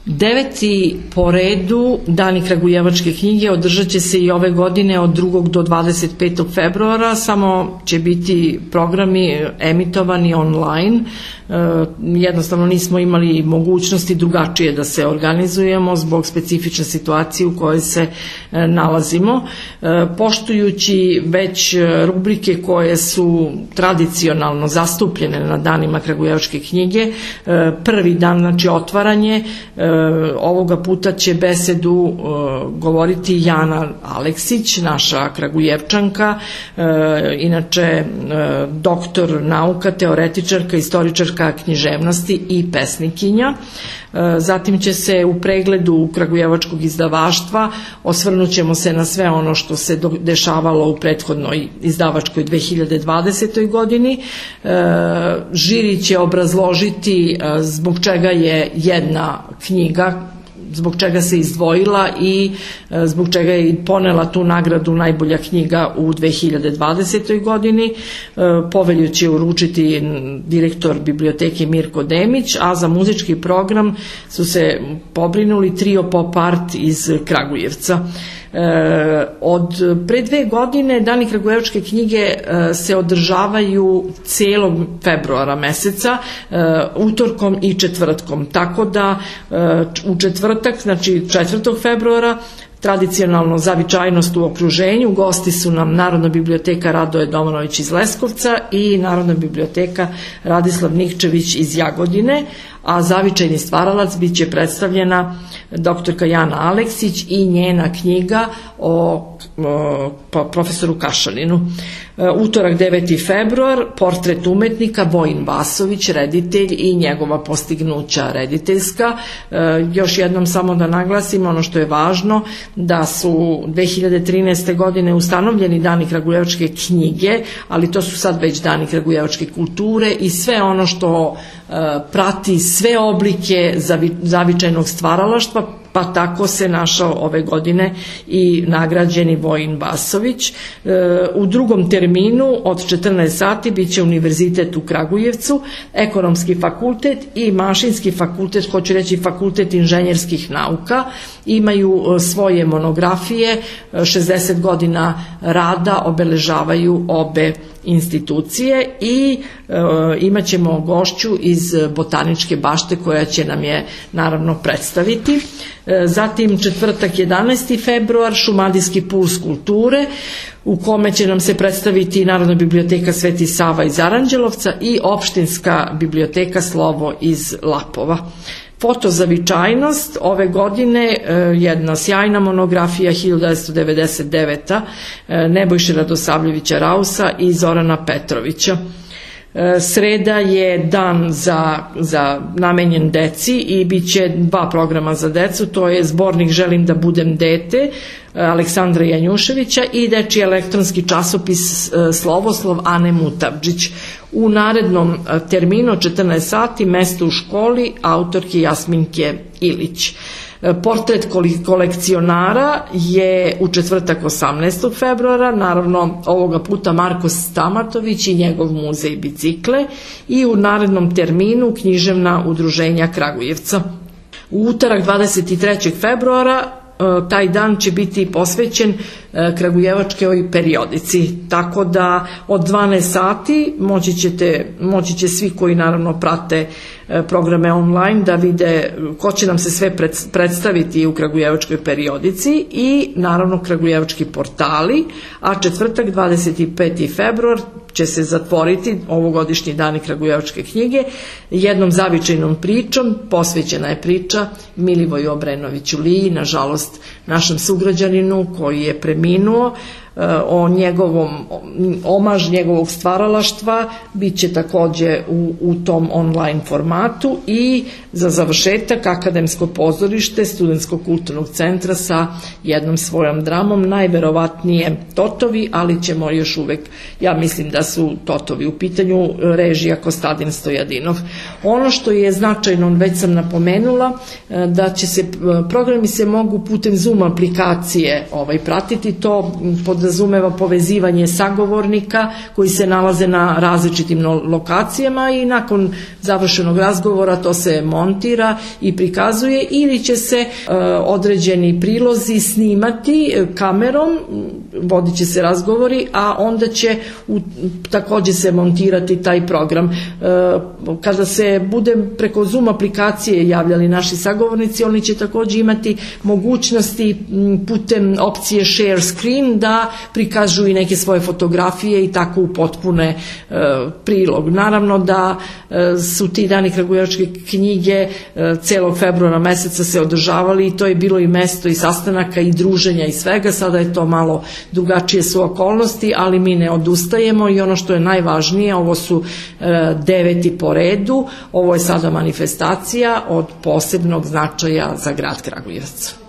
9. po redu Dani kragujevačke knjige održat će se i ove godine od 2. do 25. februara, samo će biti programi emitovani online. Jednostavno nismo imali mogućnosti drugačije da se organizujemo zbog specifične situacije u kojoj se nalazimo. Poštujući već rubrike koje su tradicionalno zastupljene na danima kragujevačke knjige, prvi dan, znači otvaranje, ovoga puta će besedu govoriti Jana Aleksić, naša kragujevčanka, inače doktor nauka, teoretičarka, istoričarka književnosti i pesnikinja. Zatim će se u pregledu kragujevačkog izdavaštva osvrnut ćemo se na sve ono što se dešavalo u prethodnoj izdavačkoj 2020. godini. Žiri će obrazložiti zbog čega je jedna knjiga, zbog čega se izdvojila i zbog čega je ponela tu nagradu najbolja knjiga u 2020. godini. Povelju će uručiti direktor biblioteke Mirko Demić, a za muzički program su se pobrinuli trio Pop Art iz Kragujevca. Od pre 2 godine Dani kragujevačke knjige se održavaju celog februara meseca, utorkom i četvrtkom, tako da u četvrtak, znači 4. februara, tradicionalno zavičajnost u okruženju, gosti su nam Narodna biblioteka Radoje Domanović iz Leskovca i Narodna biblioteka Radislav Nikčević iz Jagodine, a zavičajni stvaralac bit će predstavljena doktorka Jana Aleksić i njena knjiga o profesoru Kašalinu. Utorak 9. februar, portret umetnika Vojin Vasović, reditelj i njegova postignuća rediteljska. Još jednom samo da naglasim ono što je važno, da su 2013. godine ustanovljeni Dani kragujevačke knjige, ali to su sad već Dani kragujevačke kulture i sve ono što prati sve oblike zavičajnog stvaralaštva, pa tako se našao ove godine i nagrađeni Vojin Vasović. U drugom terminu od 14 sati bit će Univerzitet u Kragujevcu, Ekonomski fakultet i Mašinski fakultet, hoću reći Fakultet inženjerskih nauka, imaju svoje monografije, 60 godina rada obeležavaju obe institucije i imat ćemo gošću iz Botaničke bašte koja će nam je naravno predstaviti. Zatim četvrtak 11. februar, Šumadijski puls kulture, u kome će nam se predstaviti Narodna biblioteka Sveti Sava iz Aranđelovca i Opštinska biblioteka Slovo iz Lapova. Fotozavičajnost ove godine, jedna sjajna monografija 1999. Nebojše Radosavljevića Rausa i Zorana Petrovića. Sreda je dan namenjen deci i bit će 2 programa za decu, to je zbornik Želim da budem dete Aleksandra Janjuševića i dečiji elektronski časopis Slovoslov Ane Mutavdžić. U narednom terminu 14 sati, mesto u školi, autorke Jasminke Ilić. Portret kolekcionara je u četvrtak 18. februara, naravno ovoga puta Marko Stamatović i njegov muzej bicikle, i u narednom terminu književna udruženja Kragujevca. U utorak 23. februara taj dan će biti posvećen kragujevačkoj periodici, tako da od 12 sati moći će svi koji naravno prate programe online da vide ko će nam se sve predstaviti u kragujevačkoj periodici i naravno kragujevački portali, a četvrtak 25. februar će se zatvoriti ovogodišnji Dani kragujevačke knjige jednom zavičajnom pričom. Posvećena je priča Milivoju Obrenoviću Liji, nažalost našem sugrađaninu koji je preminuo. O njegovom omaž njegovog stvaralaštva bit će takođe u tom online formatu i za završetak Akademsko pozorište Studentskog kulturnog centra sa jednom svojom dramom, najverovatnije Totovi, ali ćemo još uvek, ja mislim da su Totovi u pitanju, režija Kostadin Stojadinov. Ono što je značajno, već sam napomenula, da će se programi se mogu putem Zoom aplikacije pratiti, to pod podrazumeva povezivanje sagovornika koji se nalaze na različitim lokacijama i nakon završenog razgovora to se montira i prikazuje ili će se određeni prilozi snimati kamerom, vodit će se razgovori, a onda će takođe se montirati taj program. Kada se bude preko Zoom aplikacije javljali naši sagovornici, oni će takođe imati mogućnosti putem opcije share screen da prikažu i neke svoje fotografije i tako upotpune prilog. Naravno da su ti dani kragujevačke knjige celog februara meseca se održavali i to je bilo i mesto i sastanaka i druženja i svega. Sada je to malo drugačije su okolnosti, ali mi ne odustajemo i ono što je najvažnije, ovo su 9. po redu, ovo je sada manifestacija od posebnog značaja za grad Kragujevac.